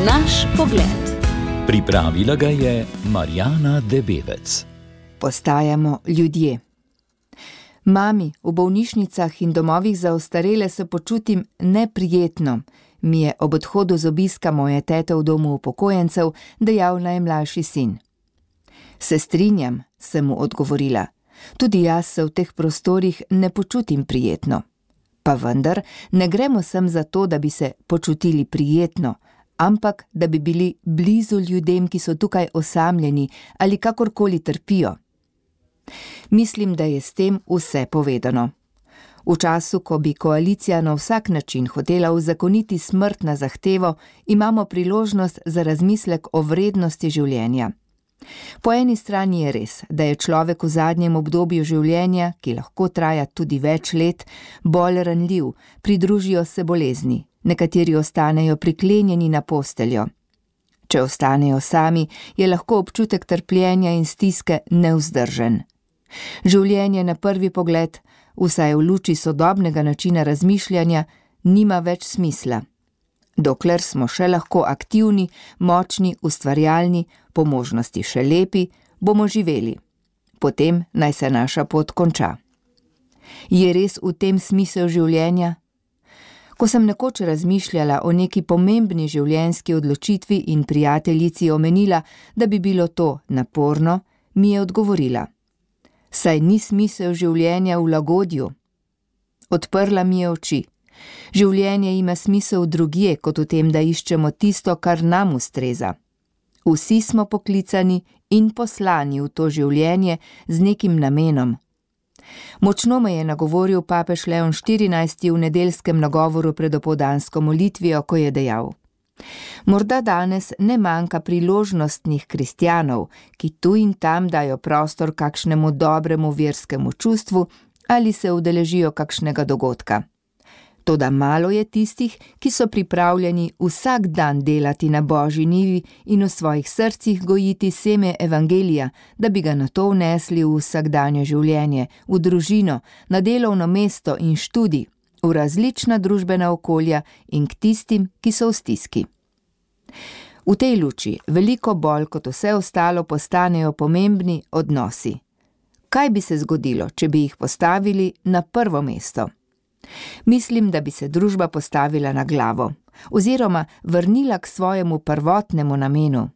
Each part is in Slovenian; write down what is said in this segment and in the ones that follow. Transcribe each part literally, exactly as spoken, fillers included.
Naš pogled. Pripravila ga je Marjana Debevec. Postajamo ljudje. Mami, v bolnišnicah in domovih za ostarele se počutim neprijetno, mi je ob odhodu z obiska moje tete v domu upokojencev dejal najmlajši sin. Se strinjam, sem mu odgovorila. Tudi jaz se v teh prostorih ne počutim prijetno. Pa vendar ne gremo sem za to, da bi se počutili prijetno, ampak da bi bili blizu ljudem, ki so tukaj osamljeni ali kakorkoli trpijo. Mislim, da je s tem vse povedano. V času, ko bi koalicija na vsak način hotela uzakoniti smrt na zahtevo, imamo priložnost za razmislek o vrednosti življenja. Po eni strani je res, da je človek v zadnjem obdobju življenja, ki lahko traja tudi več let, bolj ranljiv, pridružijo se bolezni, nekateri ostanejo priklenjeni na posteljo. Če ostanejo sami, je lahko občutek trpljenja in stiske nevzdržen. Življenje na prvi pogled, vsaj v luči sodobnega načina razmišljanja, nima več smisla. Dokler smo še lahko aktivni, močni, ustvarjalni, po možnosti še lepi, bomo živeli. Potem naj se naša pot konča. Je res v tem smisel življenja? Ko sem nekoč razmišljala o neki pomembni življenjski odločitvi in prijateljici omenila, da bi bilo to naporno, mi je odgovorila. Saj ni smisel življenja v lagodju. Odprla mi je oči. Življenje ima smisel drugje, kot v tem, da iščemo tisto, kar nam ustreza. Vsi smo poklicani in poslani v to življenje z nekim namenom. Močno me je nagovoril papež Leon štirinajsti v nedeljskem nagovoru pred opoldansko molitvijo, ko je dejal: Morda danes ne manjka priložnostnih kristjanov, ki tu in tam dajo prostor kakšnemu dobremu verskemu čustvu ali se udeležijo kakšnega dogodka. Toda malo je tistih, ki so pripravljeni vsak dan delati na Božji njivi in v svojih srcih gojiti seme evangelija, da bi ga nato vnesli v vsakdanje življenje, v družino, na delovno mesto in študij, v različna družbena okolja in k tistim, ki so v stiski. V tej luči veliko bolj kot vse ostalo postanejo pomembni odnosi. Kaj bi se zgodilo, če bi jih postavili na prvo mesto? Mislim, da bi se družba postavila na glavo, oziroma vrnila k svojemu prvotnemu namenu.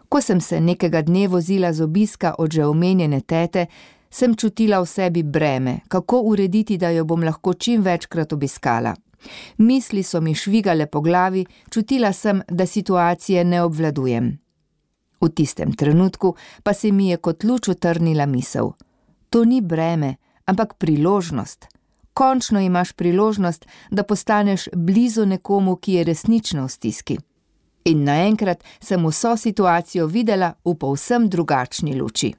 Ko sem se nekega dne vozila z obiska od že omenjene tete, sem čutila v sebi breme, kako urediti, da jo bom lahko čim večkrat obiskala. Misli so mi švigale po glavi, čutila sem, da situacije ne obvladujem. V tistem trenutku pa se mi je kot luč utrnila misel. To ni breme, ampak priložnost. Končno imaš priložnost, da postaneš blizu nekomu, ki je resnično v stiski. In naenkrat sem vso situacijo videla v povsem drugačni luči.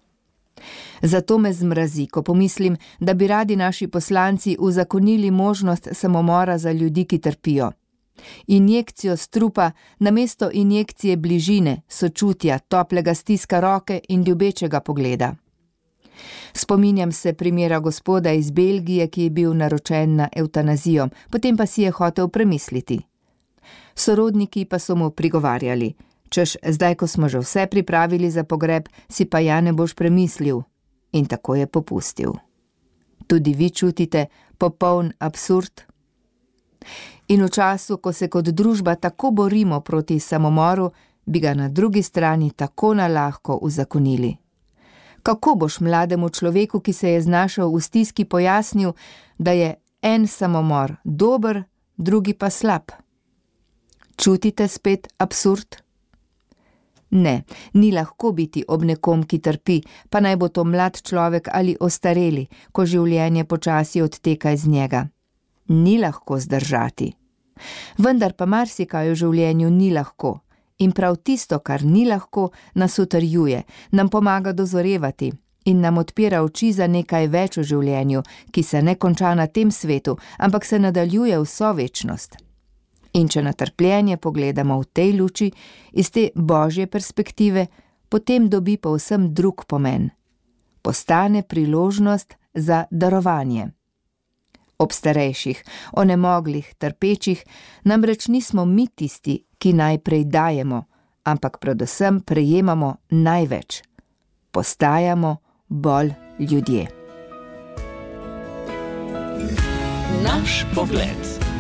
Zato me zmrazi, ko pomislim, da bi radi naši poslanci uzakonili možnost samomora za ljudi, ki trpijo. Injekcijo strupa namesto injekcije bližine, sočutja, toplega stiska roke in ljubečega pogleda. Spominjam se primera gospoda iz Belgije, ki je bil naročen na evtanazijo, potem pa si je hotel premisliti. Sorodniki pa so mu prigovarjali, češ zdaj, ko smo že vse pripravili za pogreb, si pa ja ne boš premislil. In tako je popustil. Tudi vi čutite popoln absurd? In v času, ko se kot družba tako borimo proti samomoru, bi ga na drugi strani tako nalahko uzakonili. Kako boš mlademu človeku, ki se je znašel v stiski, pojasnil, da je en samomor dober, drugi pa slab? Čutite spet absurd? Ne, ni lahko biti ob nekom, ki trpi, pa naj bo to mlad človek ali ostareli, ko življenje počasi odteka iz njega. Ni lahko zdržati. Vendar pa marsikaj v življenju ni lahko. In prav tisto, kar ni lahko, nas utrjuje, nam pomaga dozorevati in nam odpira oči za nekaj več v življenju, ki se ne konča na tem svetu, ampak se nadaljuje vso večnost. In če na trpljenje pogledamo v tej luči, iz te božje perspektive, potem dobi povsem drug pomen. Postane priložnost za darovanje. ob starejših, onemoglih, trpečih, namreč nismo mi tisti, ki najprej dajemo, ampak predvsem prejemamo največ. Postajamo bolj ljudje. Naš pogled.